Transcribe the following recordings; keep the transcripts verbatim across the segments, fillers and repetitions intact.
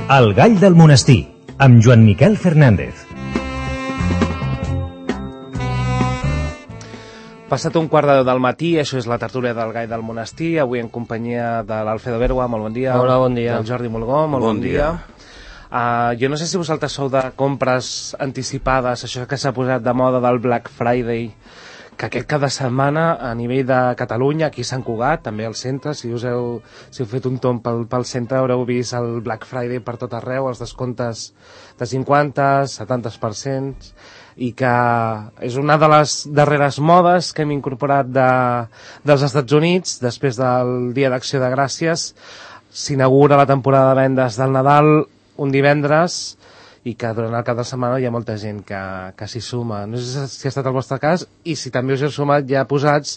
El gall del monestir, amb Joan Miquel Fernández. Passat un quart de deu del matí, això és la tertúlia del gall del monestir, avui en companyia de l'Alfredo Bergua, molt bon dia. Hola, bon dia. Del Jordi Molgó, molt bon, bon dia. dia. Uh, jo no sé si vosaltres sou de compres anticipades, això que s'ha posat de moda del Black Friday, que aquest cada setmana a nivell de Catalunya, aquí a Sant Cugat, també al centre, si us heu, si heu fet un tomb pel, pel centre haureu vist el Black Friday per tot arreu, els descomptes de cinquanta, setanta per cent, i que és una de les darreres modes que hem incorporat de, dels Estats Units. Després del Dia d'Acció de Gràcies s'inaugura la temporada de vendes del Nadal un divendres, i que durant el cap de setmana hi ha molta gent que, que s'hi suma. No sé si ha estat el vostre cas, i si també us heu sumat ja posats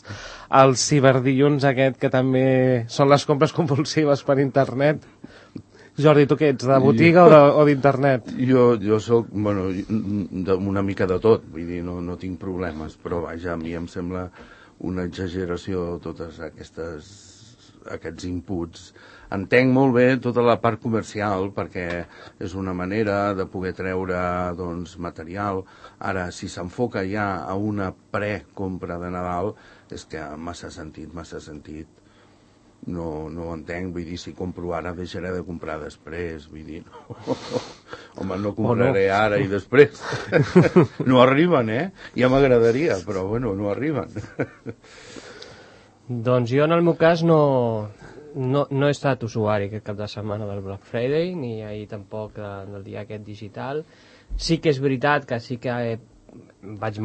el ciberdilluns aquest, que també són les compres compulsives per internet. Jordi, tu què ets, de botiga jo, o d'internet? Jo, jo soc, bueno, de, una mica de tot, vull dir, no, no tinc problemes, però vaja, a mi em sembla una exageració totes aquestes, aquests inputs. Entenc molt bé tota la part comercial, perquè és una manera de poder treure, doncs, material. Ara, si s'enfoca ja a una precompra de Nadal, és que massa sentit, massa sentit. No, no ho entenc, vull dir, si compro ara deixaré de comprar després, vull dir, no. Home, no compraré ara i després. No arriben, eh? Ja m'agradaria, però bueno, no arriben. Doncs jo en el meu cas no, no, no he estat usuari aquest cap de setmana del Black Friday, ni ahir tampoc del dia aquest digital. Sí que és veritat que sí que he, vaig,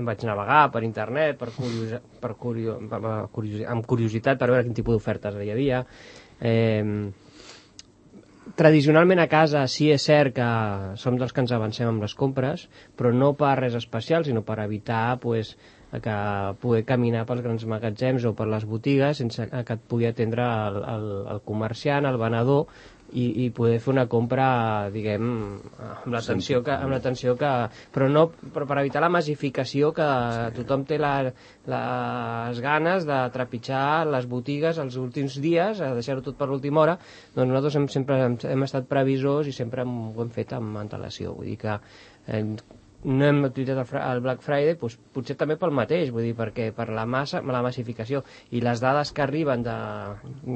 vaig navegar per internet per curiosa, per curio, per, curiosi, amb curiositat per veure quin tipus d'ofertes hi havia. Eh, tradicionalment a casa sí és cert que som dels que ens avancem amb les compres, però no per res especial, sinó per evitar pues, que poder caminar pels grans magatzems o per les botigues sense que et pugui atendre el, el, el comerciant, el venedor, i, i poder fer una compra, diguem, amb l'atenció que, amb l'atenció que... Però no, però per evitar la massificació que tothom té la, les ganes de trepitjar les botigues els últims dies, a deixar-ho tot per l'última hora, doncs nosaltres hem, sempre hem, hem estat previsors i sempre hem, ho hem fet amb antelació. Vull dir que eh, no hem utilitzat el Black Friday, doncs, potser també pel mateix, vull dir, perquè per la massa, la massificació i les dades que arriben de,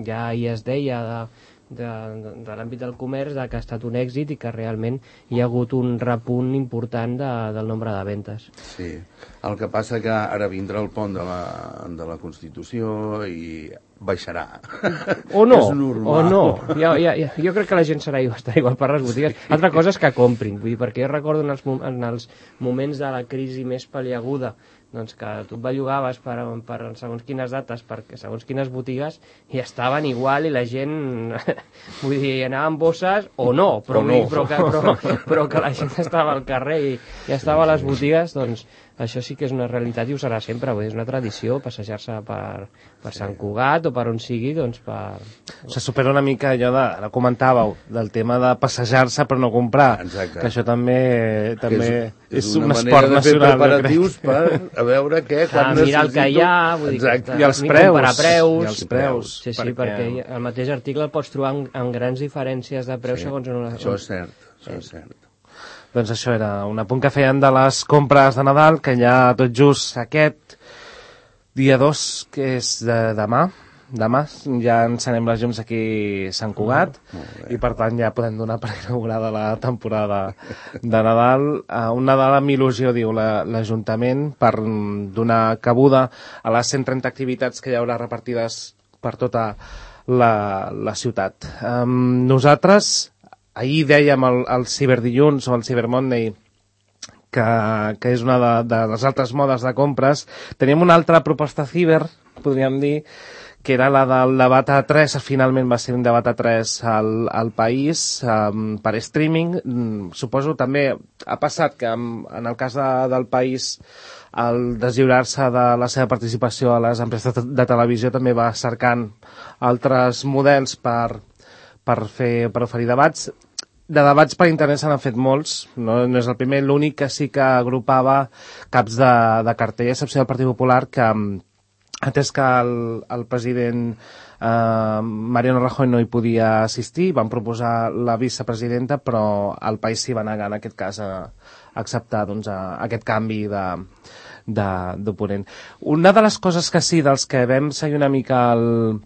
ja hi es deia, de, de, de, de l'àmbit del comerç, de que ha estat un èxit i que realment hi ha hagut un repunt important de, del nombre de ventes. Sí, el que passa que ara vindrà el pont de la, de la Constitució i baixarà. O no, és normal. o no. Jo, jo, jo, jo crec que la gent serà igual, estarà igual per les botigues. Sí. Altra cosa és que comprin, vull dir, perquè jo recordo en els, en els moments de la crisi més pal·liaguda, doncs que tu et bellugaves per, per segons quines dates, per segons quines botigues, i estaven igual i la gent, vull dir, anava amb bosses o no, però, o no. Però, que, però, però que la gent estava al carrer i, i estava a les botigues, doncs això sí que és una realitat i ho serà sempre, vull dir, és una tradició passejar-se per, per sí. Sant Cugat o per on sigui, doncs per... Se supera una mica allò de, ara comentàveu, del tema de passejar-se però no comprar. Exacte. Que això també, també és, és, és un una esport manera de fer nacional. preparatius per a veure què, quan ah, necessito... mirar el que hi ha, vull dir, exacte. I els preus. preus. I els preus. Sí, sí, perquè, perquè el mateix article el pots trobar amb, amb grans diferències de preus sí. segons... Una... Això és cert, això sí. és cert. Doncs això era un apunt que feien de les compres de Nadal, que ja tot just aquest dia dos, que és de demà, demà ja encenem les llums aquí a Sant Cugat, mm, i per tant ja podem donar per inaugurada la temporada de Nadal. Uh, un Nadal amb il·lusió, diu l'Ajuntament, per donar cabuda a les cent trenta activitats que hi haurà repartides per tota la, la ciutat. Um, nosaltres... Ahir dèiem el, el ciberdilluns o el Cyber Monday, que, que és una de, de les altres modes de compres. Teníem una altra proposta ciber, podríem dir, que era la del debat A tres, finalment va ser un debat A tres al, al país, um, per streaming. Mm, suposo també ha passat que en, en el cas de, del país el deslliurar-se de la seva participació a les empreses de, de televisió també va cercant altres models per, per, fer, per oferir debats. De debats per internet se n'han fet molts, no, no és el primer, l'únic que sí que agrupava caps de, de cartell, a excepció del Partit Popular, que, atès que el, el president eh, Mariano Rajoy no hi podia assistir, van proposar la vicepresidenta, però el país s'hi va negar en aquest cas a, a acceptar doncs, a, a aquest canvi de d'oponent. Una de les coses que sí, dels que vam seguir una mica el,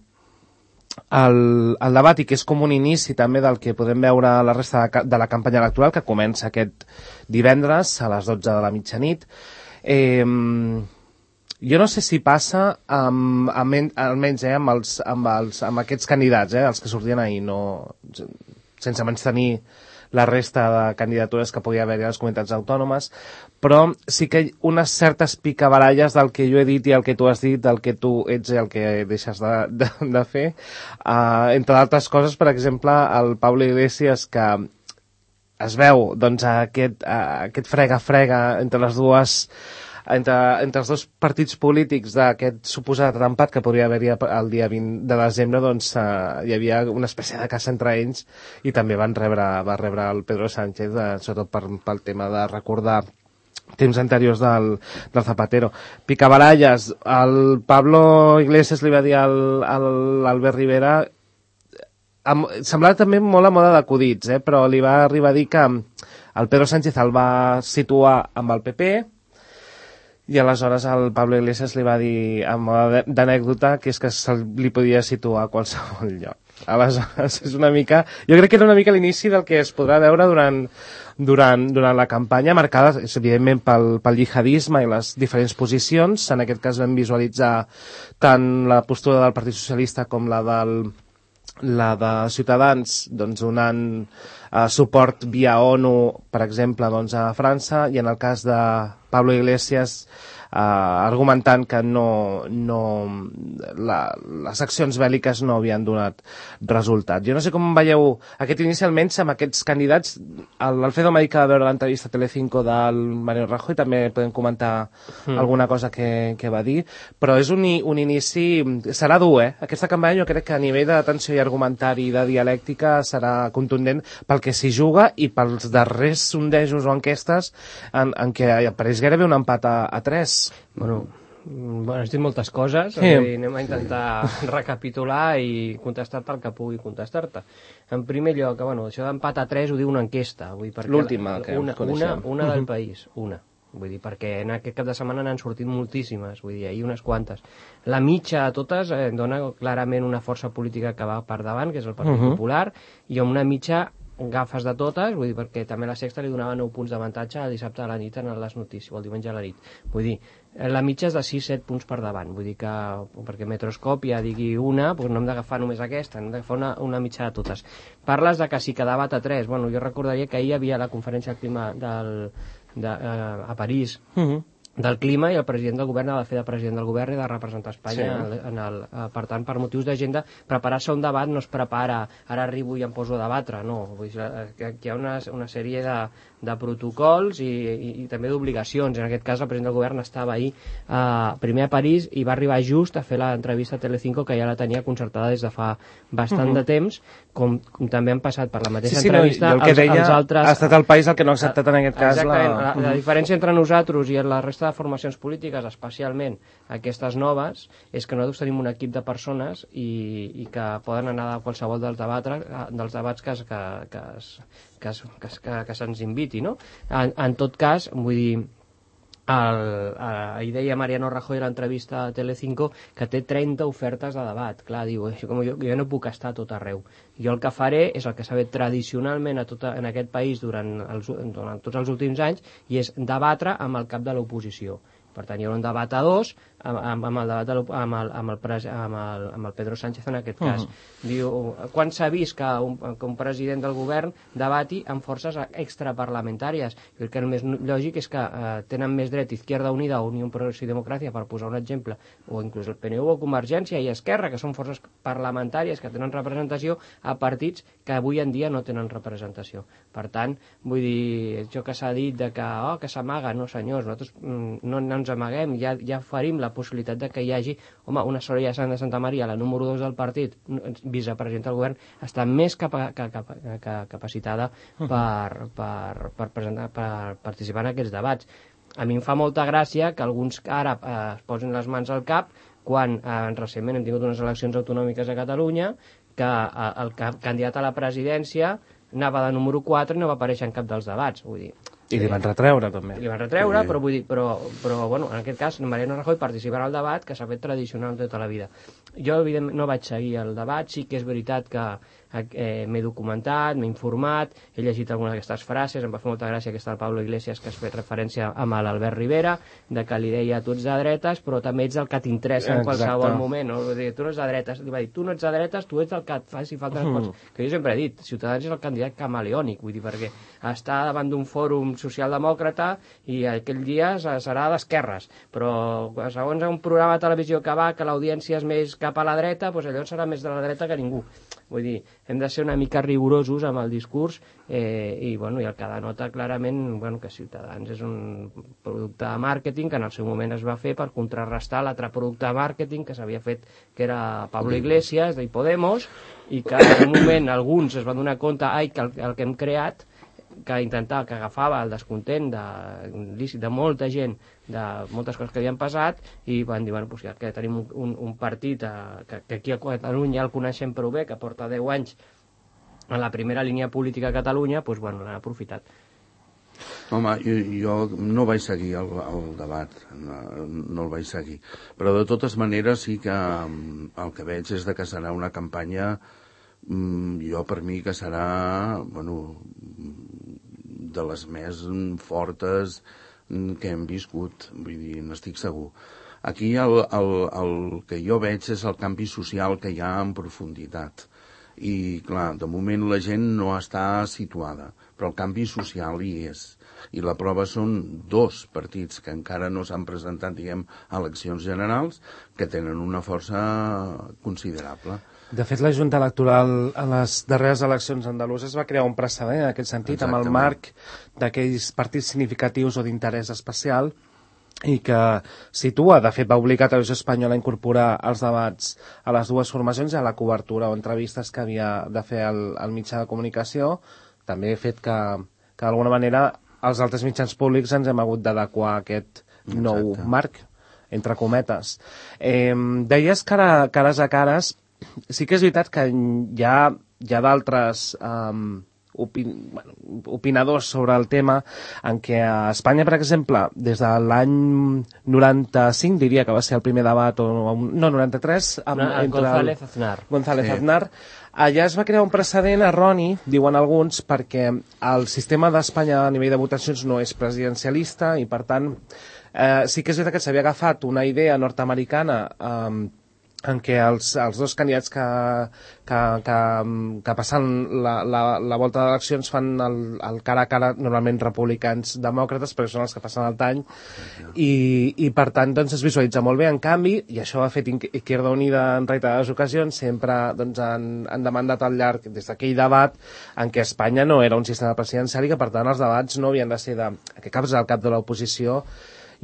el, el debat i que és com un inici també del que podem veure a la resta de, de la campanya electoral, que comença aquest divendres a les dotze de la mitjanit, eh, jo no sé si passa amb, amb, almenys eh, amb, els, amb, els, amb aquests candidats, eh, els que sortien ahir, no, sense menys tenir la resta de candidatures que podia haver-hi a les comunitats autònomes, però sí que unes certes picabaralles del que jo he dit i el que tu has dit, del que tu ets i el que deixes de, de, de fer. Uh, entre d'altres coses, per exemple, el Pablo Iglesias, que es veu doncs, aquest, uh, aquest frega-frega entre les dues Entre, entre els dos partits polítics d'aquest suposat empat que podria haver-hi el dia vint de desembre, doncs eh, hi havia una espècie de caça entre ells i també van rebre, va rebre el Pedro Sánchez, eh, sobretot per, pel tema de recordar temps anteriors del, del Zapatero. Picabaralles, el Pablo Iglesias li va dir al, al Albert Rivera, amb, semblava també molt a moda d'acudits, eh, però li va arribar a dir que el Pedro Sánchez el va situar amb el P P, i aleshores el Pablo Iglesias li va dir amb d'anècdota que és que se li podia situar a qualsevol lloc. Aleshores és una mica, jo crec que era una mica l'inici del que es podrà veure durant, durant, durant la campanya, marcada evidentment pel, pel jihadisme i les diferents posicions. En aquest cas vam visualitzar tant la postura del Partit Socialista com la del la de Ciutadans, doncs, donant eh, suport via ONU, per exemple, doncs, a França, i en el cas de Pablo Iglesias eh, argumentant que no, no, la, les accions bèl·liques no havien donat resultat. Jo no sé com veieu aquest inici, almenys amb aquests candidats. L'Alfredo m'ha dit que va veure l'entrevista a Telecinco del Mariano Rajoy, també podem comentar mm. alguna cosa que, que va dir, però és un, un inici, serà dur, eh? Aquesta campanya jo crec que a nivell d'atenció i argumentari i de dialèctica serà contundent pel que s'hi juga i pels darrers sondejos o enquestes en, en què apareix gairebé un empat a, a tres. Bueno, bueno, has dit moltes coses, sí. Dir, anem a intentar recapitular i contestar-te el que pugui contestar-te. En primer lloc, bueno, això d'empat a tres ho diu una enquesta. L'última que una, coneixem. Una, una del país, una. Vull dir, perquè en aquest cap de setmana n'han sortit moltíssimes, vull dir, ahir unes quantes. La mitja a totes eh, dona clarament una força política que va per davant, que és el Partit uh-huh. Popular, i amb una mitja gafes de totes, vull dir, perquè també la Sexta li donava nou punts d'avantatge el dissabte a la nit en les notícies, o el diumenge a la nit. Vull dir, la mitja és de sis set punts per davant, vull dir que, perquè Metroscòpia digui una, doncs no hem d'agafar només aquesta, hem d'agafar una, una mitja de totes. Parles de que sí que debat a tres, bueno, jo recordaria que ahir hi havia la conferència del clima del, de, uh, a París, uh-huh. del clima, i el president del govern ha de fer de president del govern i de representar Espanya, sí. en el, uh, per tant, per motius d'agenda, preparar-se un debat no es prepara, ara arribo i em poso a debatre, no, vull dir, que hi ha una, una sèrie de, de protocols i, i, i també d'obligacions. En aquest cas el president del govern estava ahir uh, primer a París i va arribar just a fer l'entrevista a Telecinco, que ja la tenia concertada des de fa bastant uh-huh. de temps, com, com també han passat per la mateixa sí, sí, entrevista no, el que els, deia, els altres... ha estat el país el que no ha acceptat en aquest cas la... la, la uh-huh. diferència entre nosaltres i la resta de formacions polítiques, especialment aquestes noves, és que nosaltres tenim un equip de persones i, i que poden anar a qualsevol dels, debatre, dels debats que, que, que, que, que, que, que se'ns inviti, no? En, en tot cas, vull dir, el, ahir deia Mariano Rajoy a l'entrevista a Telecinco que té trenta ofertes de debat. Clar, diu, com jo, jo no puc estar a tot arreu. Jo el que faré és el que s'ha fet tradicionalment a tota, en aquest país durant, els, durant tots els últims anys, i és debatre amb el cap de l'oposició. Per tant, hi haurà un debat a dos amb, amb, amb, el, debat de amb, el, amb, el, pres, amb, el, amb el Pedro Sánchez en aquest cas. Uh-huh. Diu, quan s'ha vist que un, que un president del govern debati amb forces extraparlamentàries? Jo crec que el més lògic és que eh, tenen més dret Izquierda Unida o Unió Progrés i Democràcia, per posar un exemple, o inclús el P N U o Convergència i Esquerra, que són forces parlamentàries que tenen representació, a partits que avui en dia no tenen representació. Per tant, vull dir, això que s'ha dit de que, oh, que s'amaga, no senyors, nosaltres mm, no, no ens amaguem, ja, ja oferim la possibilitat de que hi hagi, home, una Soraya Sáenz de Santa Maria, la número dos del partit, vicepresidenta del govern, està més capa, que, que, que, capacitada per, per, per, presentar, per participar en aquests debats. A mi em fa molta gràcia que alguns ara eh, es posin les mans al cap quan eh, recentment hem tingut unes eleccions autonòmiques a Catalunya que eh, el ca candidat a la presidència anava de número quatre i no va aparèixer en cap dels debats. Vull dir, I li van retreure, també. I li van retreure, Sí. però, vull dir, però, però bueno, en aquest cas, Mariano Rajoy participarà al debat que s'ha fet tradicional tota la vida. Jo, evidentment, no vaig seguir el debat, sí que és veritat que eh, m'he documentat, m'he informat, he llegit algunes d'aquestes frases, em va fer molta gràcia aquesta del Pablo Iglesias que has fet referència amb l'Albert Rivera, de que li deia tu ets de dretes, però també ets el que t'interessa en qualsevol moment. No? Vull dir, tu no ets de dretes, li va dir, tu no ets de dretes, tu ets el que et faci falta. Mm. Que jo sempre he dit, Ciutadans és el candidat camaleònic, vull dir, perquè està davant d'un fòrum socialdemòcrata i aquell dia serà d'esquerres, però segons un programa de televisió que va, que l'audiència és més cap a la dreta, doncs allò serà més de la dreta que ningú. Vull dir, hem de ser una mica rigorosos amb el discurs eh, i, bueno, i el que denota clarament bueno, que Ciutadans és un producte de màrqueting que en el seu moment es va fer per contrarrestar l'altre producte de màrqueting que s'havia fet, que era Pablo Iglesias, de Podemos, i que en un moment alguns es van donar compte ai, que el, el que hem creat que intentava, que agafava el descontent de, de molta gent, de moltes coses que havien passat, i van dir, bueno, pues ja que tenim un, un, un partit eh, que, que aquí a Catalunya el coneixem prou bé, que porta deu anys en la primera línia política a Catalunya, doncs, bueno, l'han aprofitat. Home, jo, jo no vaig seguir el, el debat, no, no el vaig seguir. Però de totes maneres sí que el que veig és de que serà una campanya, jo per mi que serà, bueno, de les més fortes que hem viscut, vull dir, n'estic segur. Aquí el, el, el que jo veig és el canvi social que hi ha en profunditat. I, clar, de moment la gent no està situada, però el canvi social hi és. I la prova són dos partits que encara no s'han presentat, diguem, a eleccions generals, que tenen una força considerable. De fet, la Junta Electoral en les darreres eleccions andaluses va crear un precedent en aquest sentit, Exactament. amb el marc d'aquells partits significatius o d'interès especial i que situa, de fet, va obligar a Televisió Espanyola a incorporar els debats a les dues formacions i a la cobertura o entrevistes que havia de fer el, el mitjà de comunicació. També he fet que, que d'alguna manera els altres mitjans públics ens hem hagut d'adequar a aquest nou Exacte. marc, entre cometes. Eh, deies cara, cares a cares. Sí que és veritat que hi ha, hi ha d'altres um, opin, bueno, opinadors sobre el tema en què a Espanya, per exemple, des de l'any noranta-cinc, diria que va ser el primer debat, o no, noranta-tres, amb, No, entre González Aznar. González Sí. Aznar. Allà es va crear un precedent erroni, diuen alguns, perquè el sistema d'Espanya a nivell de votacions no és presidencialista i, per tant, eh, sí que és veritat que s'havia agafat una idea nord-americana eh, en què els, els dos candidats que, que, que, que passen la, la, la volta d'eleccions fan el, el cara a cara, normalment republicans demòcrates, perquè són els que passen el tall, i, i per tant doncs, es visualitza molt bé. En canvi, i això ha fet Izquierda Unida en reiterades ocasions, sempre doncs, han, han demandat al llarg des d'aquell debat en què Espanya no era un sistema presidencial i que per tant els debats no havien de ser de que caps al cap de l'oposició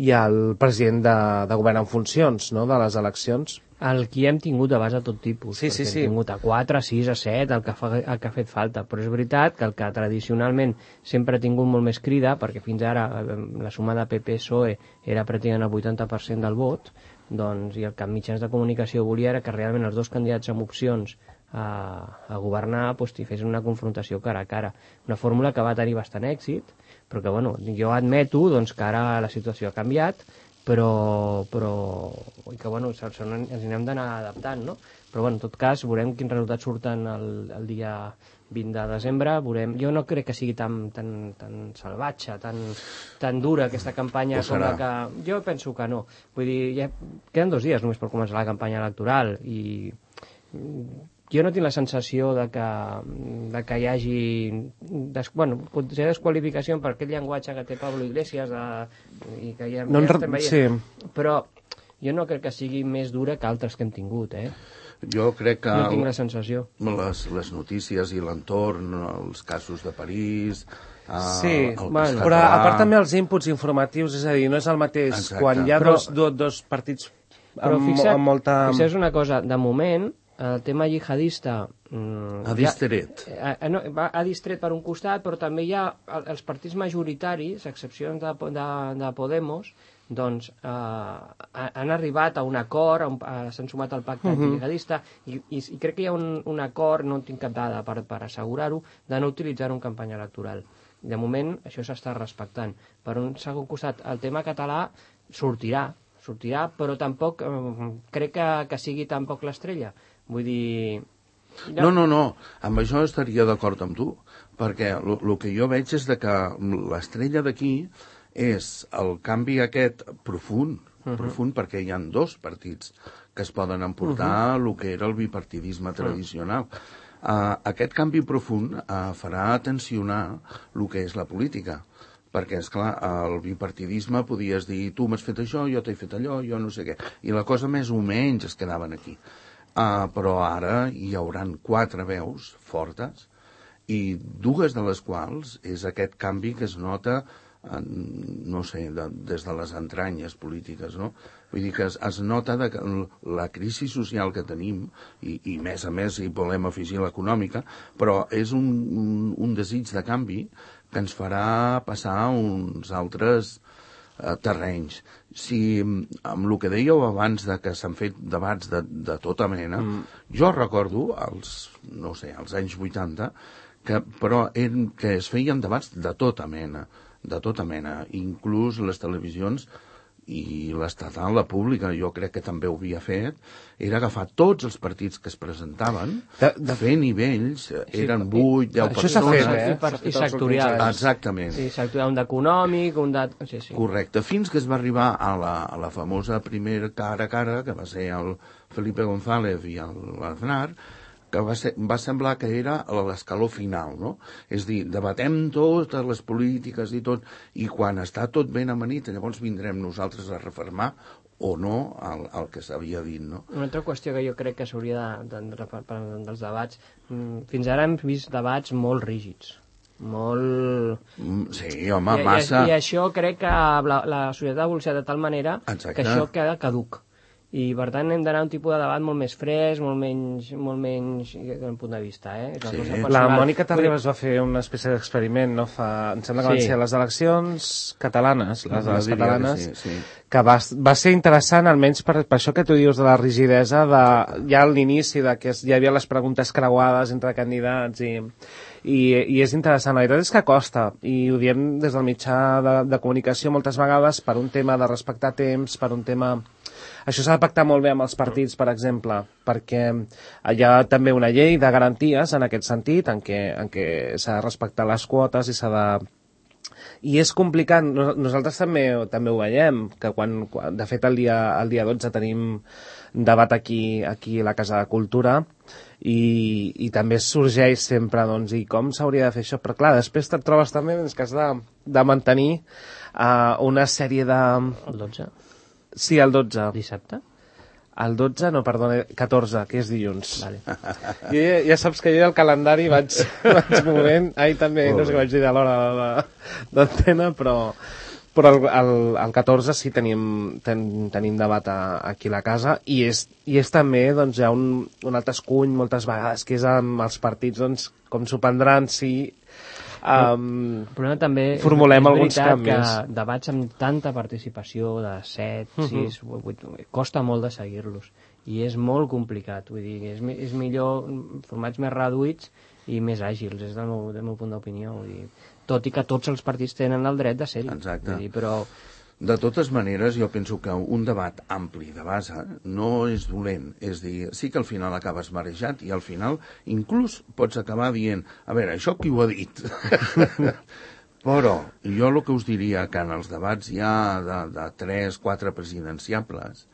i el president de, de govern en funcions, no?, de les eleccions. El que hem tingut de base a tot tipus, Sí, perquè sí, sí. hem tingut a quatre, a sis, a set, el que, fa, el que ha fet falta, però és veritat que el que tradicionalment sempre ha tingut molt més crida, perquè fins ara eh, la suma de P P P S O E era pràcticament el vuitanta per cent del vot, doncs, i el que en mitjans de comunicació volia era que realment els dos candidats amb opcions a, a governar doncs, hi fessin una confrontació cara a cara. Una fórmula que va tenir bastant èxit, però que bueno, jo admeto doncs, que ara la situació ha canviat, però, però i que bueno, ens n'hem d'anar adaptant, no? Però bueno, en tot cas, veurem quins resultats surten el, el dia vint de desembre, veurem. Jo no crec que sigui tan, tan, tan salvatge, tan, tan dura aquesta campanya com la que... Jo penso que no. Vull dir, ja queden dos dies només per començar la campanya electoral i jo no tinc la sensació de que, de que hi hagi des, bueno, potser desqualificació per aquest llenguatge que té Pablo Iglesias de, i que ja, no, ja estem veient, sí. Però jo no crec que sigui més dura que altres que hem tingut, eh? Jo crec que no tinc la sensació. Les, les notícies i l'entorn, els casos de París... Sí, el bueno, però a part també els inputs informatius, és a dir, no és el mateix. Exacte. Quan hi ha però, dos, dos, dos partits però amb, fixa't, amb molta... fixa't una cosa, de moment el tema jihadista mm, ha distret ja, eh, no, va, ha distret per un costat, però també hi ha els partits majoritaris, a excepció de, de, de Podemos, doncs eh, han arribat a un acord, a un, a, s'han sumat al pacte Mhm. antibrigadista, i, i, i crec que hi ha un, un acord, no en tinc cap dada per, per assegurar-ho, de no utilitzar-ho en campanya electoral. De moment, això s'està respectant. Per un segon costat, el tema català sortirà, sortirà, però tampoc eh, crec que, que sigui tampoc l'estrella. Vull dir... No, no, no, amb això estaria d'acord amb tu, perquè el que jo veig és de que l'estrella d'aquí és el canvi aquest profund, uh -huh. profund perquè hi ha dos partits que es poden emportar uh -huh. el que era el bipartidisme tradicional. Uh, aquest canvi profund uh, farà tensionar el que és la política, perquè, és clar, el bipartidisme podies dir, tu m'has fet això, jo t'he fet allò, jo no sé què, i la cosa més o menys es quedaven aquí. Uh, però ara hi hauran quatre veus fortes, i dues de les quals és aquest canvi que es nota, uh, no sé, de, des de les entranyes polítiques, no? Vull dir que es, es nota de que la crisi social que tenim, i, i més a més hi volem afegir l'econòmica, però és un, un, un desig de canvi que ens farà passar uns altres eh, terrenys. Si, amb el que dèieu abans de que s'han fet debats de, de tota mena, mm. jo recordo, als, no sé, als anys vuitanta, que, però en, que es feien debats de tota mena, de tota mena, inclús les televisions i l'estatal, la pública, jo crec que també ho havia fet, era agafar tots els partits que es presentaven, de, de... fer nivells, sí, eren vuit, deu persones... Això s'ha fet, eh? I, i sectorials. Exactament. Sí, sectorial, un d'econòmic, un de... Sí, sí. Correcte, fins que es va arribar a la, a la famosa primera cara a cara, que va ser el Felipe González i l'Aznar, que va, ser, va semblar que era l'escaló final, no? És dir, debatem totes les polítiques i tot, i quan està tot ben amanit, llavors vindrem nosaltres a refermar o no el, el que s'havia dit, no? Una altra qüestió que jo crec que s'hauria de, de, de, de, dels debats, fins ara hem vist debats molt rígids, molt... Sí, home, I, massa... I, i això crec que la, la societat ha evolucionat de tal manera Exacte. Que això queda caduc. I per tant hem d'anar a un tipus de debat molt més fresc, molt menys, molt menys des d'un punt de vista, eh? Sí. La Mònica Terribas va fer una espècie d'experiment, no? Fa, em sembla que van sí. ser les eleccions catalanes, les, no, les catalanes, que, sí, sí. que va, va ser interessant, almenys per, per això que tu dius de la rigidesa, de, ja a l'inici de que hi havia les preguntes creuades entre candidats i... I, i és interessant, la veritat és que costa, i ho diem des del mitjà de, de comunicació moltes vegades per un tema de respectar temps, per un tema... Això s'ha de pactar molt bé amb els partits, per exemple, perquè hi ha també una llei de garanties en aquest sentit, en què, en què s'ha de respectar les quotes i s'ha de... I és complicat, nosaltres també també ho veiem, que quan, quan de fet el dia, el dia dotze tenim debat aquí, aquí a la Casa de Cultura, i, i també sorgeix sempre, doncs, i com s'hauria de fer això? Però clar, després te't trobes també que has de, de mantenir uh, una sèrie de... El dotze? Sí, el dotze. Dissabte? El dotze, no, perdona, catorze, que és dilluns. Vale. I ja, ja saps que jo el calendari vaig, vaig movent, ahir també, no sé què vaig dir de l'hora d'antena, però, però el, el, el catorze sí tenim, ten, tenim debat a, aquí a la casa, i és, i és també, doncs, hi ha un, un altre escuny moltes vegades, que és amb els partits, doncs, com s'ho prendran, si... Um, però també formulem és alguns canvis. Que debats amb tanta participació de set, sis, uh -huh. vuit, costa molt de seguir-los i és molt complicat, vull dir, és, és millor formats més reduïts i més àgils, és del meu, del meu punt d'opinió, vull dir, tot i que tots els partits tenen el dret de ser-hi. Exacte. Vull dir, però de totes maneres, jo penso que un debat ampli de base no és dolent. És dir, sí que al final acabes marejat i al final inclús pots acabar dient, a veure, això qui ho ha dit? Però jo el que us diria que en els debats ja de, de tres, quatre presidenciables,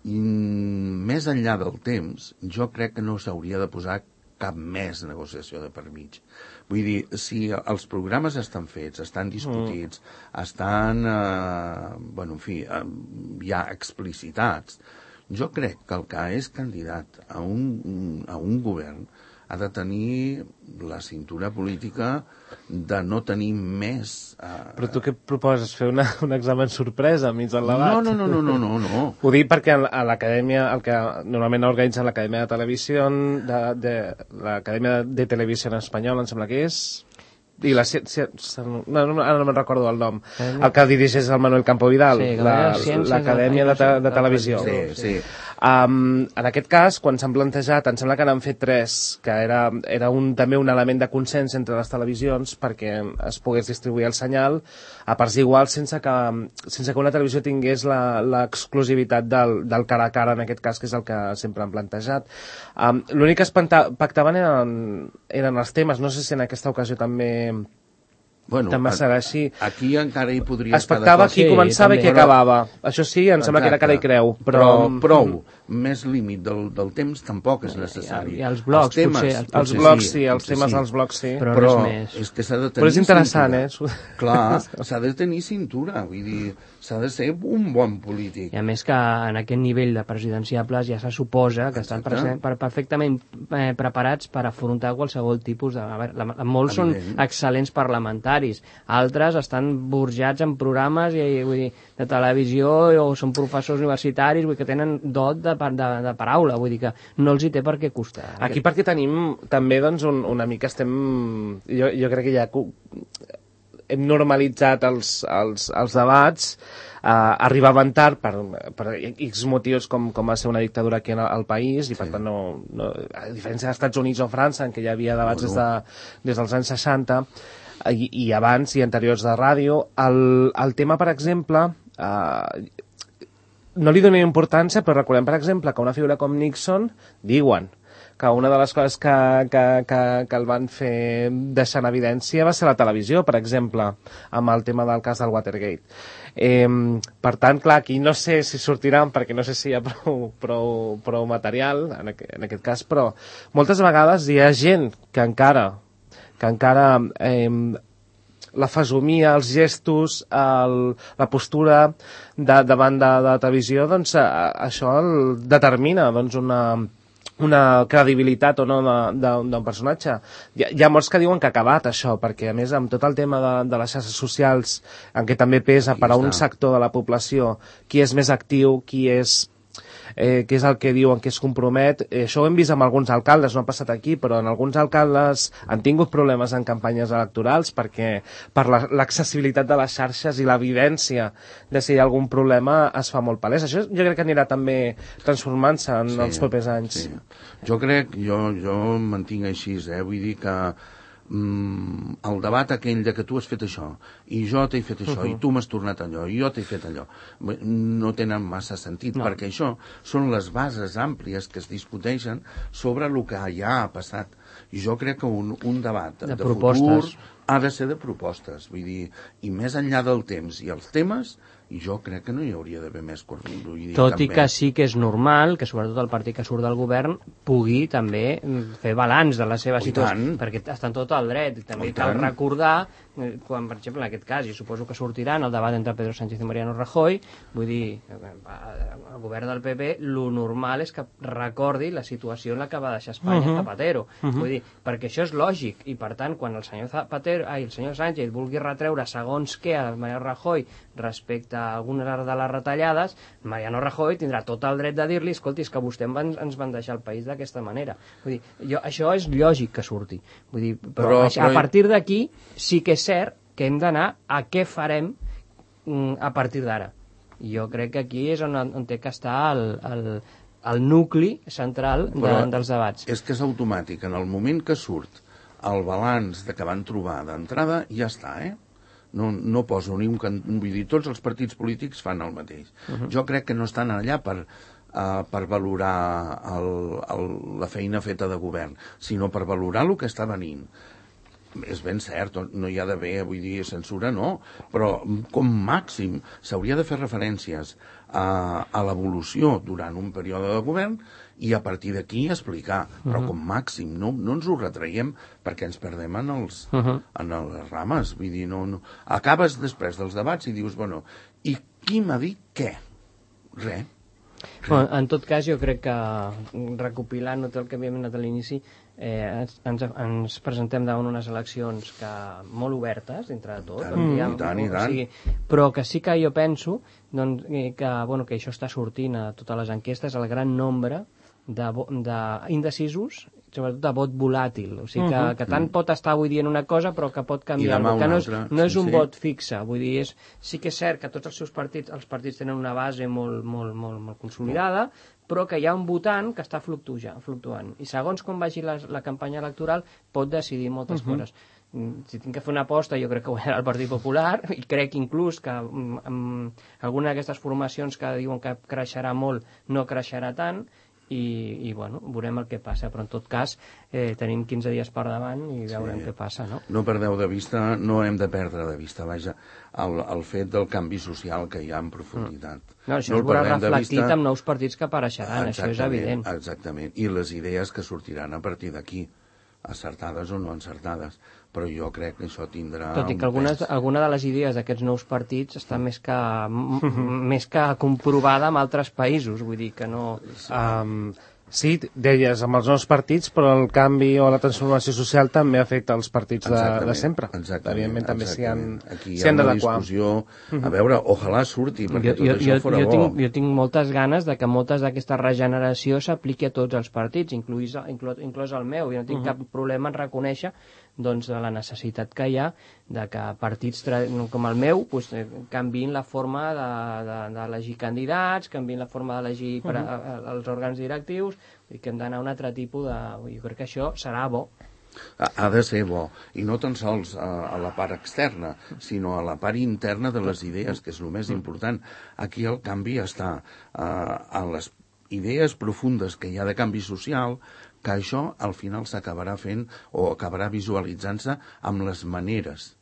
i més enllà del temps, jo crec que no s'hauria de posar cap més negociació de per mig. Vull dir, si els programes estan fets, estan discutits, mm. estan, eh, bueno, en fi, eh, ja explicitats, jo crec que el que és candidat a un, a un govern ha de tenir la cintura política de no tenir més... Eh... Però tu què proposes? Fer una, un examen sorpresa enmig del debat? No, no, no, no, no, no, no. Ho dic perquè a l'acadèmia, el que normalment organitza l'Acadèmia de Televisió, de, de, l'Acadèmia de Televisió Espanyola, em sembla que és... i la ciència... No, no, ara no me'n recordo el nom. El que dirigeix el Manuel Campo Vidal, Sí, la- Ciències l'Acadèmia de, te, de Televisió. Sí, sí. Um, en aquest cas, quan s'han plantejat, em sembla que n'han fet tres, que era, era un, també un element de consens entre les televisions perquè es pogués distribuir el senyal a parts iguals sense que, sense que una televisió tingués la- l'exclusivitat del, del cara a cara, en aquest cas, que és el que sempre han plantejat. Um, L'únic que es pacta- pactaven eren, eren els temes, no sé si en aquesta ocasió també... Bueno, també a- serà així. Aquí encara hi podria Es pactava qui Sí, començava i qui també. acabava. Això sí, em sembla que era cara i creu. Però, però prou, més límit del, del temps tampoc és necessari. I els blocs, temes, potser, els els potser blocs sí, els potser temes sí. dels blocs sí. Però Però res més. és que s'ha de tenir Però és interessant, cintura. eh? Clar, s'ha de tenir cintura, vull dir, s'ha de ser un bon polític. I a més que en aquest nivell de presidenciables ja se suposa que estan Exacte. prese- per, perfectament eh, preparats per afrontar qualsevol tipus de... A veure, la, molts són Evident. excel·lents parlamentaris, altres estan burjats en programes i, vull dir, de televisió o són professors universitaris, vull dir, que tenen dot de, pa- de, de paraula, vull dir que no els hi té per què costar. Aquí perquè tenim també doncs, un, una mica estem... Jo, jo crec que ja cu- hem normalitzat els, els, els debats, eh, arribaven tard per, per X motius com, com va ser una dictadura aquí en el, al país i per tant no, no, a diferència dels Estats Units o França en què hi havia debats des, de, des dels anys seixanta i, i abans i anteriors de ràdio, el, el tema per exemple eh, no li donem importància, però recordem, per exemple, que una figura com Nixon, diuen que una de les coses que, que, que, que el van fer deixar en evidència va ser la televisió, per exemple, amb el tema del cas del Watergate. Eh, per tant, clar, aquí no sé si sortiran, perquè no sé si hi ha prou, prou, prou material, en, aqu en aquest cas, però moltes vegades hi ha gent que encara, que encara eh, la fesomia, els gestos, el, la postura de, davant de, de la televisió, doncs a, això el determina doncs, una, una credibilitat o no d'un personatge. Hi ha, hi ha molts que diuen que ha acabat això, perquè a més amb tot el tema de, de les xarxes socials, en què també pesa per a un sector de la població qui és més actiu, qui és... Eh, que és el que diuen que es compromet. Eh, això ho hem vist amb alguns alcaldes, no ha passat aquí, però en alguns alcaldes han tingut problemes en campanyes electorals perquè per l'accessibilitat de les xarxes i l'evidència de si hi ha algun problema es fa molt palès. Això jo crec que anirà també transformant-se en Sí, els propers anys. Sí. Jo crec, jo, jo em mantinc així, eh? Vull dir que mm, el debat aquell de que tu has fet això i jo t'he fet això, uh -huh. i tu m'has tornat allò i jo t'he fet allò, no tenen massa sentit, No. perquè això són les bases àmplies que es discuteixen sobre el que ja ha passat. I jo crec que un, un debat de, De de propostes. futur ha de ser de propostes, vull dir, i més enllà del temps i els temes, i jo crec que no hi hauria d'haver més cor- vull dir, Tot cap i que més. sí que és normal que sobretot el partit que surt del govern pugui també mm, fer balanç de la seva Oh, i situació, tant. perquè està en tot el dret. I també Oh, i cal tant. recordar, eh, quan, per exemple, en aquest cas, i suposo que sortirà en el debat entre Pedro Sánchez i Mariano Rajoy, vull dir, eh, el govern del P P, lo normal és que recordi la situació en la que va deixar Espanya Uh-huh. Zapatero. Vull dir, perquè això és lògic, i per tant, quan el senyor Zapatero, ai, el senyor Sánchez vulgui retreure segons què a Mariano Rajoy respecte a algunes de les retallades, Mariano Rajoy tindrà tot el dret de dir-li, escolti, és que vostè van, ens van deixar el país d'aquesta manera. Vull dir, jo, això és lògic que surti. Vull dir, però, Però- però, però- a partir d'aquí sí que és cert que hem d'anar a què farem mm, a partir d'ara. I jo crec que aquí és on, on té que estar el, el, el nucli central de, Però dels debats. És que és automàtic. En el moment que surt el balanç de que van trobar d'entrada, ja està, eh? No, no poso ni un... Can... Vull dir, tots els partits polítics fan el mateix. Uh-huh. Jo crec que no estan allà per, uh, per valorar el, el, la feina feta de govern, sinó per valorar el que està venint. És ben cert, no hi ha d'haver, vull dir, censura, no, però com màxim s'hauria de fer referències a, a l'evolució durant un període de govern i a partir d'aquí explicar, però com màxim, no, no ens ho retraiem perquè ens perdem en, els, uh -huh. en les rames, vull dir, no, no. Acabes després dels debats i dius, bueno, i qui m'ha dit què? Res. Bueno, en tot cas, jo crec que recopilant tot el que havíem anat a l'inici, eh, ens, ens presentem davant unes eleccions que molt obertes, entre de tot, I tant, diguem, i tant, i o tant. sigui, però que sí que jo penso doncs, eh, que, bueno, que això està sortint a totes les enquestes, el gran nombre d'indecisos, sobretot de vot volàtil, o sigui que, uh -huh. que tant pot estar avui dient una cosa però que pot canviar, que no és, no és un sí, vot fixe, vull dir, és, sí que és cert que tots els seus partits, els partits tenen una base molt, molt, molt, molt consolidada, però que hi ha un votant que està fluctuant, fluctuant. I segons com vagi la, la campanya electoral pot decidir moltes uh -huh. coses. Si tinc que fer una aposta, jo crec que guanyarà el Partit Popular, i crec inclús que um, um, alguna d'aquestes formacions que diuen que creixerà molt no creixerà tant, i, i bueno, veurem el que passa, però en tot cas eh, tenim quinze dies per davant i veurem sí. què passa, no? No perdeu de vista, no hem de perdre de vista, vaja, el, el fet del canvi social que hi ha en profunditat. Mm. No, això no es veurà reflectit vista... amb nous partits que apareixeran, això és evident. Exactament, i les idees que sortiran a partir d'aquí, acertades o no encertades, però jo crec que això tindrà... Tot i que algunes, alguna de les idees d'aquests nous partits està més que, més que comprovada en altres països, vull dir que no... Um, sí, deies, amb els nous partits, però el canvi o la transformació social també afecta els partits de, de sempre. Exactament. Evidentment també s'hi han, Aquí hi ha una discussió... A veure, ojalà surti, perquè jo, tot jo, això fora jo bo. Tinc, jo tinc moltes ganes de que moltes d'aquesta regeneració s'apliqui a tots els partits, inclús, inclús, inclús el meu. Jo no tinc uh -huh. cap problema en reconèixer doncs, de la necessitat que hi ha de que partits com el meu pues, canviïn la forma d'elegir candidats, canviïn la forma d'elegir uh -huh. els òrgans directius, i que hem d'anar a un altre tipus de... Jo crec que això serà bo. Ha de ser bo, i no tan sols a, a la part externa, sinó a la part interna de les idees, que és el més important. Aquí el canvi està uh, a les idees profundes que hi ha de canvi social, que això al final s'acabarà fent o acabarà visualitzant-se amb les maneres,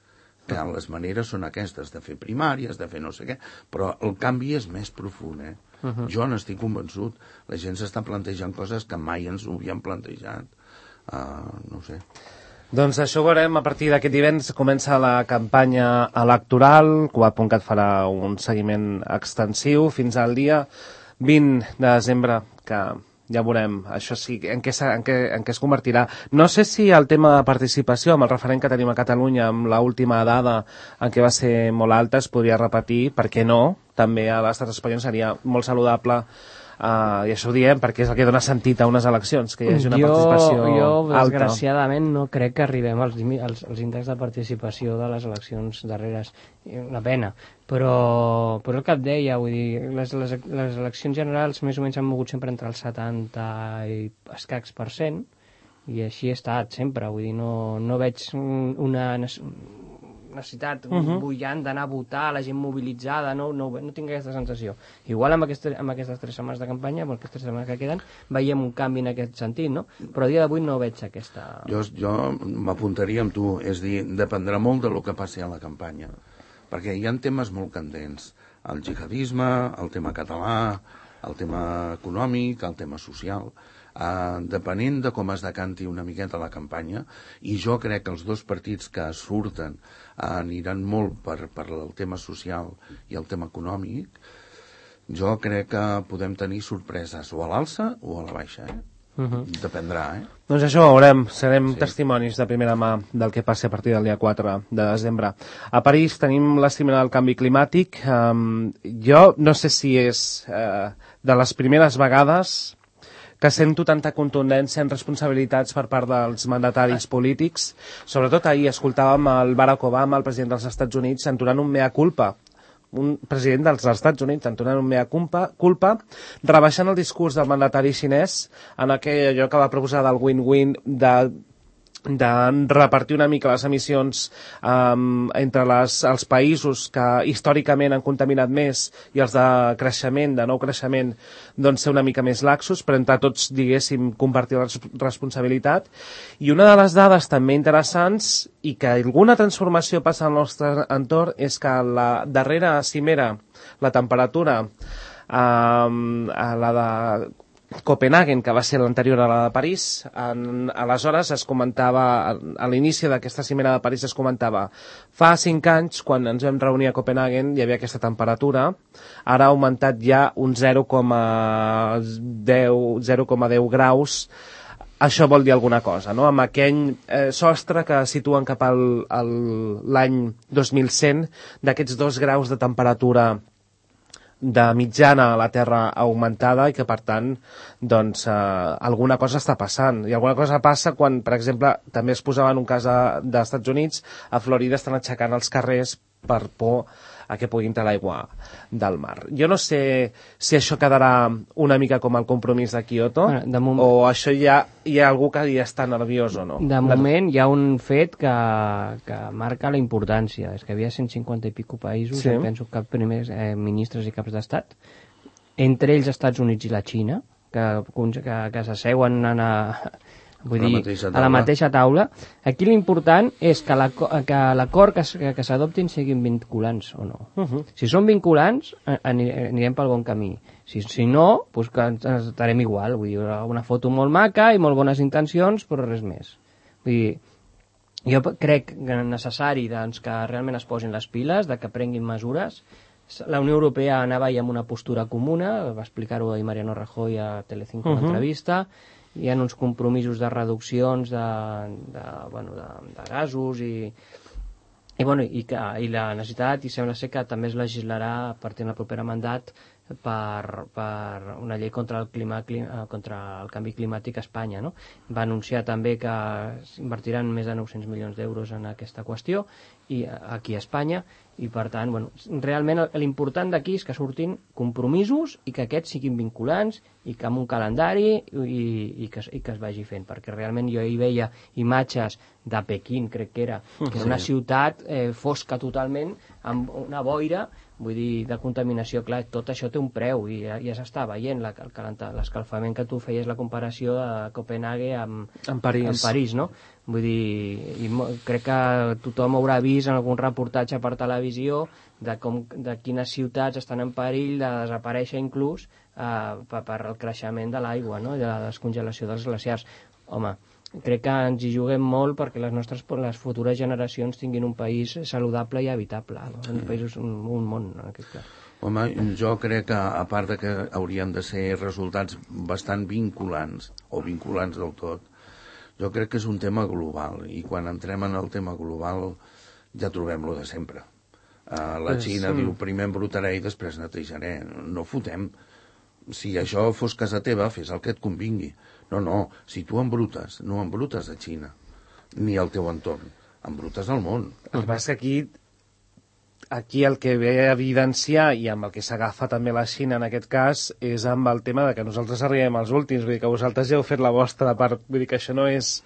que les maneres són aquestes, de fer primàries, de fer no sé què, però el canvi és més profund, eh? Uh -huh. Jo n'estic convençut. La gent s'està plantejant coses que mai ens ho havien plantejat. Uh, no sé. Doncs això ho veurem a partir d'aquest divendres. Comença la campanya electoral, Cugat punt cat farà un seguiment extensiu fins al dia vint de desembre, que ja veurem, això sí, en què, en, què, en què es convertirà. No sé si el tema de participació, amb el referent que tenim a Catalunya, amb l'última dada en què va ser molt alta, es podria repetir, per què no? També a l'estat espanyol seria molt saludable, uh, i això ho diem perquè és el que dona sentit a unes eleccions, que hi hagi una jo, participació jo, alta. desgraciadament, no crec que arribem als, als, als índexs de participació de les eleccions darreres. Una pena. Però, però el que et deia, vull dir, les, les, les eleccions generals més o menys han mogut sempre entre el setanta i escacs per cent, i així he estat sempre, vull dir, no, no veig una necessitat uh -huh. bullant d'anar a votar, la gent mobilitzada, no, no, no tinc aquesta sensació. Igual amb, aquesta, amb aquestes tres setmanes de campanya, amb aquestes tres setmanes que queden, veiem un canvi en aquest sentit, no? Però a dia d'avui no veig aquesta... Jo, jo m'apuntaria amb tu, és dir, dependrà molt de lo que passi a la campanya, perquè hi ha temes molt candents, el jihadisme, el tema català, el tema econòmic, el tema social... Uh, depenent de com es decanti una miqueta la campanya, i jo crec que els dos partits que surten uh, aniran molt per, per el tema social i el tema econòmic, jo crec que podem tenir sorpreses o a l'alça o a la baixa, eh? Uh -huh. Dependrà, eh? Doncs això ho veurem, serem sí. testimonis de primera mà del que passi a partir del dia quatre de desembre. A París tenim la cimera del canvi climàtic. Um, jo no sé si és uh, de les primeres vegades que sento tanta contundència en responsabilitats per part dels mandataris polítics. Sobretot ahir escoltàvem el Barack Obama, el president dels Estats Units, entonant un mea culpa, un president dels Estats Units entonant un mea culpa, culpa rebaixant el discurs del mandatari xinès en aquell allò que va proposar del win-win de de repartir una mica les emissions um, entre les, els països que històricament han contaminat més i els de creixement, de nou creixement, doncs ser una mica més laxos, però entre tots, diguéssim, compartir la responsabilitat. I una de les dades també interessants, i que alguna transformació passa al nostre entorn, és que la darrera cimera, la temperatura, um, la de Copenhagen, que va ser l'anterior a la de París, en, aleshores es comentava, a l'inici d'aquesta cimera de París es comentava, fa cinc anys, quan ens vam reunir a Copenhagen, hi havia aquesta temperatura, ara ha augmentat ja un zero coma deu graus. Això vol dir alguna cosa, no? Amb aquell eh, sostre que situen cap al, al l'any dos mil cent d'aquests dos graus de temperatura de mitjana a la Terra augmentada i que, per tant, doncs, eh, alguna cosa està passant. I alguna cosa passa quan, per exemple, també es posava en un cas dels Estats Units, a Florida estan aixecant els carrers per por a que pugui entrar l'aigua del mar. Jo no sé si això quedarà una mica com el compromís de Kyoto, bueno, de moment... o això ja hi ha algú que ja està nerviós o no. De moment hi ha un fet que, que marca la importància. És que hi havia cent cinquanta i pico països, sí. penso que primers eh, ministres i caps d'estat, entre ells Estats Units i la Xina, que, que, que s'asseuen en a, vull dir, a la mateixa taula. Aquí l'important és que l'acord que, que, que s'adoptin siguin vinculants o no. Uh -huh. Si són vinculants, anirem pel bon camí. Si, si no, doncs que estarem igual. Vull dir, una foto molt maca i molt bones intencions, però res més. Vull dir, jo crec que és necessari doncs, que realment es posin les piles, de que prenguin mesures. La Unió Europea anava ja amb una postura comuna, va explicar-ho ahir Mariano Rajoy a Telecinco en uh -huh. l'entrevista. Hi ha uns compromisos de reduccions de, de, bueno, de, de gasos i, i, bueno, i, que, i la necessitat, i sembla ser que també es legislarà a partir del proper mandat per, per una llei contra el, clima, clima, contra el canvi climàtic a Espanya. No? Va anunciar també que invertiran més de nou-cents milions d'euros en aquesta qüestió i aquí a Espanya, i per tant, bueno, realment l'important d'aquí és que surtin compromisos i que aquests siguin vinculants i que amb un calendari i, i, que, i que es vagi fent, perquè realment jo hi veia imatges de Pequín, crec que era, que era una ciutat eh, fosca totalment, amb una boira, vull dir, de contaminació. Clar, tot això té un preu i ja, ja s'està veient l'escalfament, que tu feies la comparació de Copenhague amb, en París. amb París, no? Vull dir, i crec que tothom haurà vist en algun reportatge per televisió de, com, de quines ciutats estan en perill de desaparèixer inclús eh, per, per el creixement de l'aigua, no? De la descongelació dels glaciars. Home, crec que ens hi juguem molt perquè les nostres les futures generacions tinguin un país saludable i habitable, no? Un país, un, un món, en aquest cas. Home, jo crec que, a part de que haurien de ser resultats bastant vinculants, o vinculants del tot, jo crec que és un tema global, i quan entrem en el tema global ja trobem-lo de sempre. Uh, la Xina sí. diu, primer embrutaré i després netejaré. No fotem. Si això fos casa teva, fes el que et convingui. No, no, si tu embrutes, no embrutes a Xina, ni al teu entorn, embrutes al món. El que passa és que aquí, aquí el que ve a evidenciar, i amb el que s'agafa també la Xina en aquest cas, és amb el tema de que nosaltres arribem als últims, vull dir que vosaltres ja heu fet la vostra part, vull dir que això no és,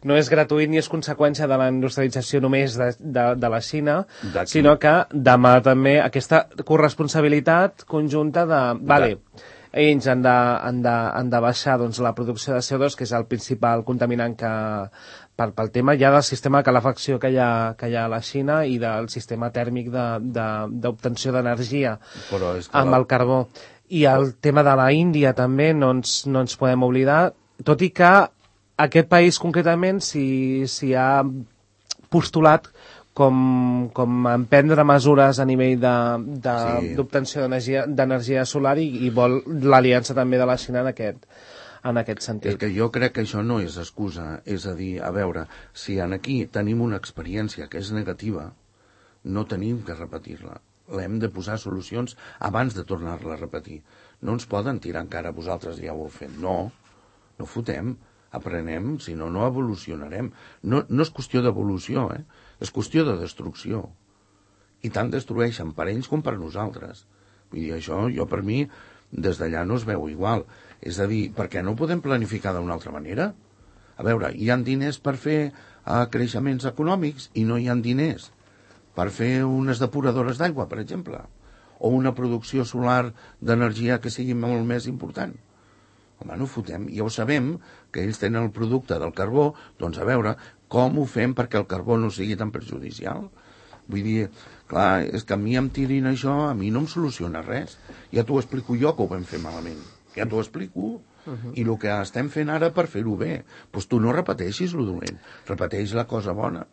no és gratuït ni és conseqüència de la industrialització només de, de, de la Xina, sinó que demà també aquesta corresponsabilitat conjunta de... Vale, ells han de, han de, han de baixar doncs, la producció de C O dos, que és el principal contaminant que, pel, pel tema ja del sistema de calefacció que hi ha, que hi ha a la Xina i del sistema tèrmic d'obtenció de, de, d'energia amb el carbó. I el tema de la Índia també no ens, no ens podem oblidar, tot i que aquest país concretament s'hi si ha postulat com, com emprendre mesures a nivell d'obtenció de, de, d'energia solar i, i vol l'aliança també de la Xina en aquest, en aquest sentit. És que jo crec que això no és excusa, és a dir, a veure, si en aquí tenim una experiència que és negativa, no tenim que repetir-la. L'hem de posar solucions abans de tornar-la a repetir. No ens poden tirar encara, vosaltres ja ho heu fet. No, no fotem, aprenem, si no, no evolucionarem. No, no és qüestió d'evolució, eh? És qüestió de destrucció. I tant destrueixen per ells com per nosaltres. Vull dir, això, jo per mi, des d'allà no es veu igual. És a dir, per què no ho podem planificar d'una altra manera? A veure, hi ha diners per fer uh, creixements econòmics i no hi ha diners per fer unes depuradores d'aigua, per exemple, o una producció solar d'energia que sigui molt més important. Home, no ho fotem. Ja ho sabem, que ells tenen el producte del carbó, doncs a veure com ho fem perquè el carbó no sigui tan perjudicial. Vull dir, clar, és que a mi em tirin això, a mi no em soluciona res. Ja t'ho explico jo que ho vam fer malament. Ja t'ho explico. Uh-huh. I el que estem fent ara per fer-ho bé. Doncs tu no repeteixis lo dolent, repeteix la cosa bona.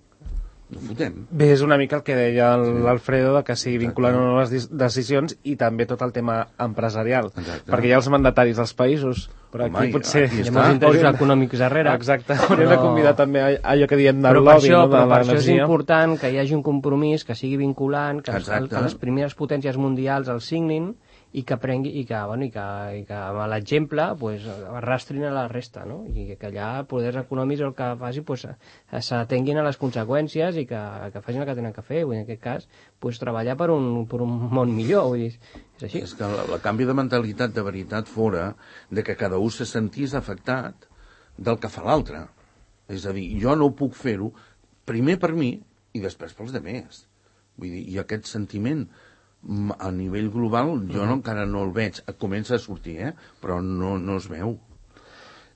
No fotem. Bé, és una mica el que deia l'Alfredo, de que sigui vinculant o no les decisions, i també tot el tema empresarial. Exacte. Perquè hi ha els mandataris dels països, però aquí Home, potser aquí hi ha molts interessos econòmics darrere. Exacte, hauríem però... de convidar també a allò que diem del però lobby, això, no? Però per això és important que hi hagi un compromís, que sigui vinculant, que, el, que les primeres potències mundials el signin i que prengui, i que, bueno, i que, i que amb l'exemple pues, arrastrin a la resta, no? I que allà poders econòmics el que faci pues, s'atenguin a les conseqüències i que, que facin el que tenen que fer. Vull dir, en aquest cas, pues, treballar per un, per un món millor. Vull dir, és així. És que el canvi de mentalitat de veritat fora de que cada un se sentís afectat del que fa l'altre. És a dir, jo no puc fer-ho primer per mi i després pels demés. Vull dir, i aquest sentiment a nivell global jo no, encara no el veig. Comença a sortir, eh? Però no, no es veu.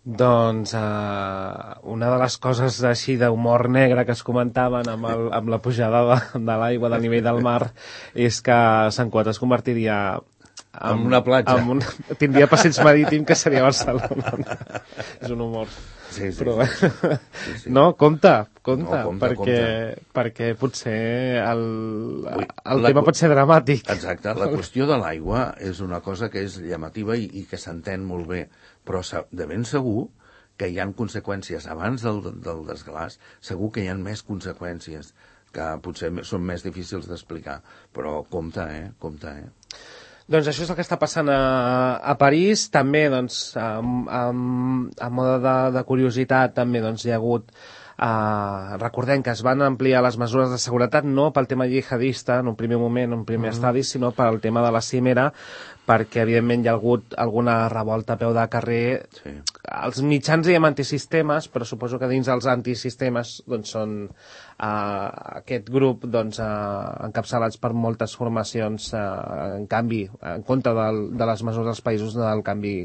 Doncs uh, una de les coses així d'humor negre que es comentaven amb, el, amb la pujada de, de l'aigua del nivell del mar és que Sant Cugat es convertiria en, en una platja. En un, tindria passeig marítim que seria Barcelona. És un humor. Sí, sí, però, sí, sí, sí. No, compte, compte, no, compte perquè, compte. perquè potser el, Ui, el la, tema pot ser dramàtic. Exacte, la qüestió de l'aigua és una cosa que és llamativa i, i que s'entén molt bé, però de ben segur que hi ha conseqüències abans del, del desglàs, segur que hi ha més conseqüències que potser són més difícils d'explicar, però compte, eh, compte, eh. Doncs això és el que està passant a, a París. També, doncs, a, a, a mode de, de curiositat, també doncs, hi ha hagut... Uh, recordem que es van ampliar les mesures de seguretat no pel tema jihadista en un primer moment, en un primer mm. estadi, sinó pel tema de la cimera, perquè evidentment hi ha hagut alguna revolta a peu de carrer. Sí. Els mitjans diem antisistemes, però suposo que dins els antisistemes doncs, són uh, aquest grup doncs, uh, encapçalats per moltes formacions uh, en canvi, en contra del, de les mesures dels països del canvi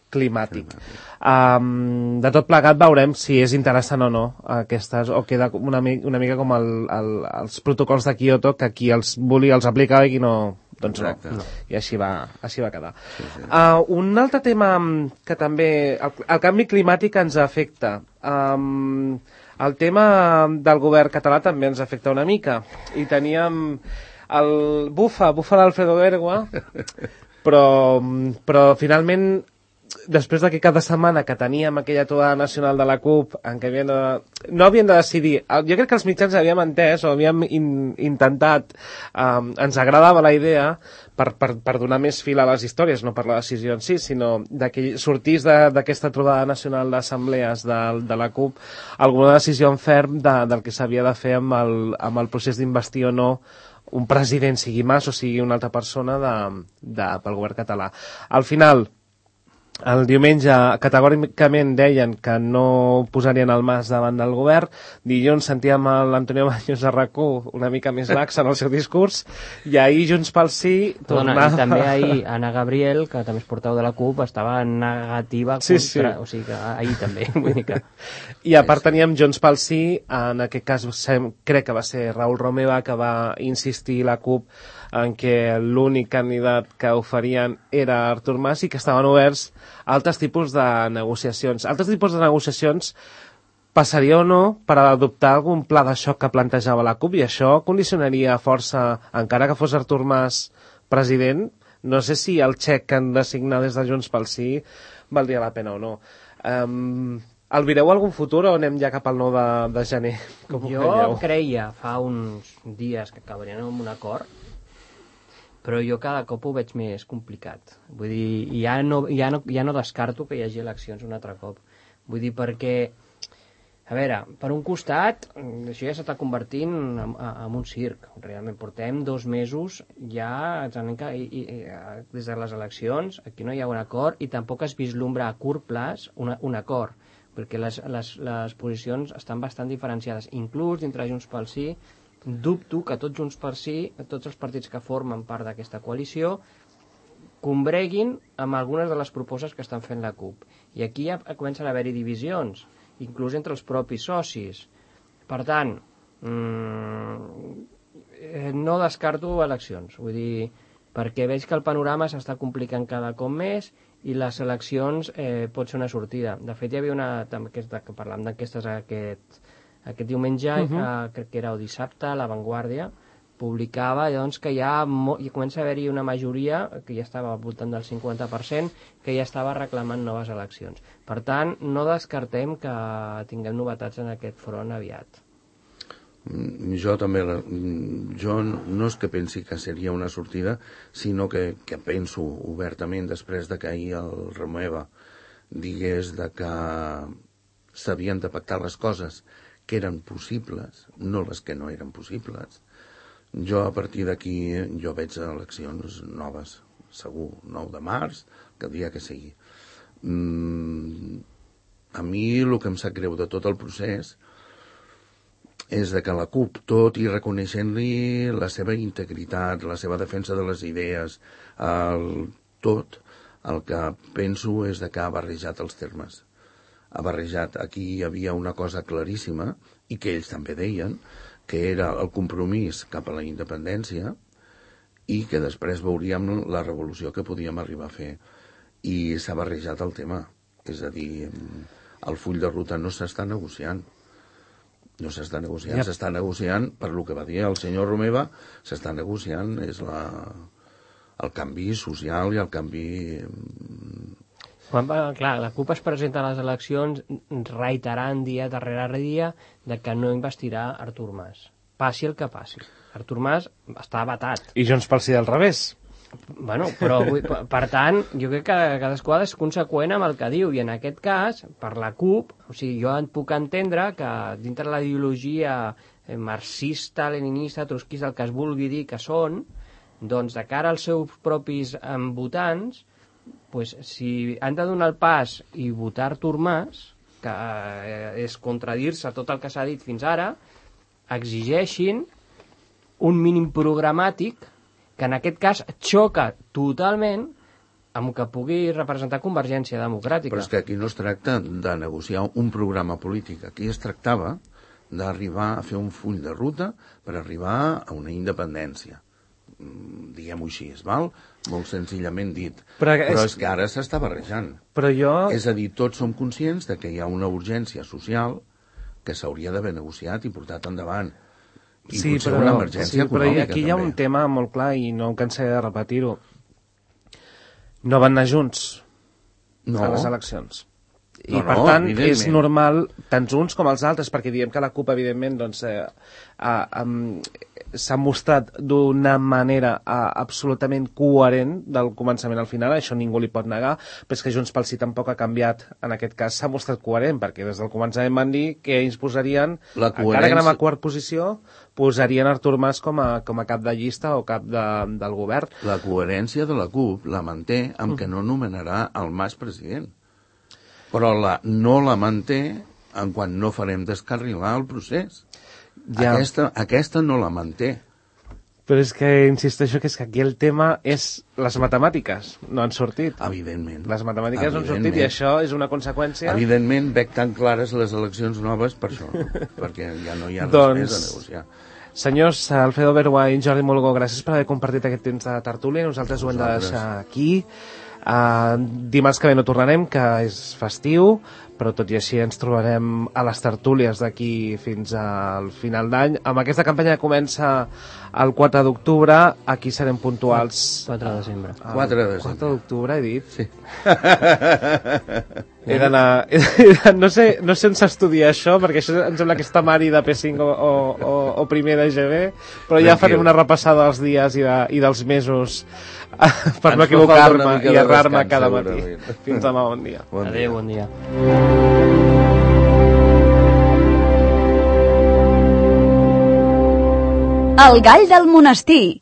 climàtic. Um, de tot plegat veurem si és interessant o no aquestes, o queda una, una mica com el, el, els protocols de Kyoto, que qui els volia els aplicava i qui no, doncs Exacte. no. I així va, així va quedar. Sí, sí. Uh, un altre tema que també... El, el canvi climàtic ens afecta. Um, el tema del govern català també ens afecta una mica. I teníem el bufa, bufa l'Alfredo Bergua, però, però finalment després de que cada setmana que teníem aquella trobada nacional de la CUP en què havien de, no havien de decidir, jo crec que els mitjans havíem entès o havíem in, intentat, um, ens agradava la idea per, per, per donar més fil a les històries, no per la decisió en si, sinó de que sortís d'aquesta trobada nacional d'assemblees de, de la CUP alguna decisió en ferm de, del que s'havia de fer amb el, amb el procés d'investir o no un president, sigui Mas o sigui una altra persona de, de, pel govern català. Al final, el diumenge categòricament deien que no posarien el Mas davant del govern. Dilluns sentíem l'Antonio Baños a RAC u una mica més lax en el seu discurs i ahir Junts pel Sí tornava... I també ahir Anna Gabriel, que també és portaveu de la CUP, estava negativa contra... Sí, sí. O sigui que ahir també. Vull dir que... I a part teníem Junts pel Sí, en aquest cas crec que va ser Raül Romeva que va insistir la CUP en què l'únic candidat que oferien era Artur Mas i que estaven oberts a altres tipus de negociacions. Altres tipus de negociacions passaria o no per adoptar algun pla de xoc que plantejava la CUP i això condicionaria força, encara que fos Artur Mas president, no sé si el xec que han de signar des de Junts pel Sí valdria la pena o no. Um, el vireu algun futur o anem ja cap al nou de, de gener? Com jo creia fa uns dies que acabarien amb un acord, però jo cada cop ho veig més complicat. Vull dir, ja no, ja no, ja no descarto que hi hagi eleccions un altre cop. Vull dir, perquè, a veure, per un costat, això ja s'està convertint en, en un circ. Realment, portem dos mesos ja i, i, des de les eleccions, aquí no hi ha un acord i tampoc es vislumbra a curt plaç una, un acord, perquè les, les, les posicions estan bastant diferenciades. Inclús dintre Junts pel Sí, dubto que tots Junts per Sí, tots els partits que formen part d'aquesta coalició, combreguin amb algunes de les propostes que estan fent la CUP. I aquí ja comencen a haver-hi divisions, inclús entre els propis socis. Per tant, mmm, no descarto eleccions. Vull dir, perquè veig que el panorama s'està complicant cada cop més i les eleccions eh, pot ser una sortida. De fet, hi havia una... que parlàvem d'enquestes aquest... Aquest diumenge, uh -huh. eh, crec que era el dissabte, La Vanguardia publicava doncs, que ja hi comença a haver-hi una majoria, que ja estava al voltant del cinquanta per cent, que ja estava reclamant noves eleccions. Per tant, no descartem que tinguem novetats en aquest front aviat. Jo també, la, jo no és que pensi que seria una sortida, sinó que, que penso obertament després de que ahir el Romeva digués de que s'havien de pactar les coses que eren possibles, no les que no eren possibles. Jo a partir d'aquí jo veig eleccions noves, segur, nou de març, que el dia que sigui. Mm, a mi el que em sap greu de tot el procés és de que la CUP, tot i reconeixent-li la seva integritat, la seva defensa de les idees, el, tot, el que penso és de que ha barrejat els termes. Ha barrejat, aquí hi havia una cosa claríssima, i que ells també deien, que era el compromís cap a la independència i que després veuríem la revolució que podíem arribar a fer. I s'ha barrejat el tema. És a dir, el full de ruta no s'està negociant. No s'està negociant, yep. S'està negociant, per lo que va dir el senyor Romeva, s'està negociant, és la, el canvi social i el canvi... Quan, clar, la CUP es presenta a les eleccions reiterant dia darrere dia de que no investirà Artur Mas. Passi el que passi. Artur Mas està vetat. I Junts pel Sí al revés. Bueno, però, per tant, jo crec que cadascú és conseqüent amb el que diu, i en aquest cas, per la CUP, o sigui, jo en puc entendre que dintre la ideologia marxista, leninista, trotskista, el que es vulgui dir que són, doncs de cara als seus propis votants, pues, si han de donar el pas i votar Artur Mas, que és contradir-se tot el que s'ha dit fins ara, exigeixin un mínim programàtic que en aquest cas xoca totalment amb que pugui representar Convergència Democràtica. Però és que aquí no es tracta de negociar un programa polític, aquí es tractava d'arribar a fer un full de ruta per arribar a una independència. Diguem-ho així, és val? Molt senzillament dit. Però, és... Però és que ara s'està barrejant. Però jo... És a dir, tots som conscients de que hi ha una urgència social que s'hauria d'haver negociat i portat endavant. I sí, potser però, una emergència sí, però aquí hi ha també. un tema molt clar i no em cansaré de repetir-ho. No van anar junts no. a les eleccions. I no, per no, tant és normal, tant uns com els altres, perquè diem que la CUP evidentment doncs, eh, eh, eh, s'ha mostrat d'una manera eh, absolutament coherent del començament al final, això ningú li pot negar, però és que Junts pel Sí tampoc ha canviat, en aquest cas s'ha mostrat coherent, perquè des del començament van dir que ells posarien, coherència... encara que anem a quart posició, posarien Artur Mas com a, com a cap de llista o cap de, del govern. La coherència de la CUP la manté amb mm. que no nomenarà el Mas president. Però la, no la manté en quan no farem descarrilar el procés. Ja. Aquesta, aquesta no la manté. Però és que insisteixo que és que aquí el tema és les matemàtiques, no han sortit. Evidentment. Les matemàtiques no han sortit i això és una conseqüència... Evidentment veig tan clares les eleccions noves per això, perquè ja no hi ha res doncs... més a negociar. Senyors, Alfredo Bergua i Jordi Mulgó, gràcies per haver compartit aquest temps de tertúlia. Nosaltres ho hem de deixar aquí. Uh, dimarts que ve no tornarem, que és festiu, però tot i així ens trobarem a les tertúlies d'aquí fins al final d'any. Amb aquesta campanya que comença el quatre d'octubre, aquí serem puntuals. quatre de desembre. El quatre de desembre. quatre d'octubre, he dit? Sí. He d'anar... No sé, no sé on s'estudia això, perquè això em sembla que està Mari de P cinc o, o, o primer de G B, però ja farem una repassada dels dies i, de, i dels mesos per no equivocar-me i errar-me cada matí. Fins demà, bon dia. Bon Adéu, bon dia. El gall del monestir.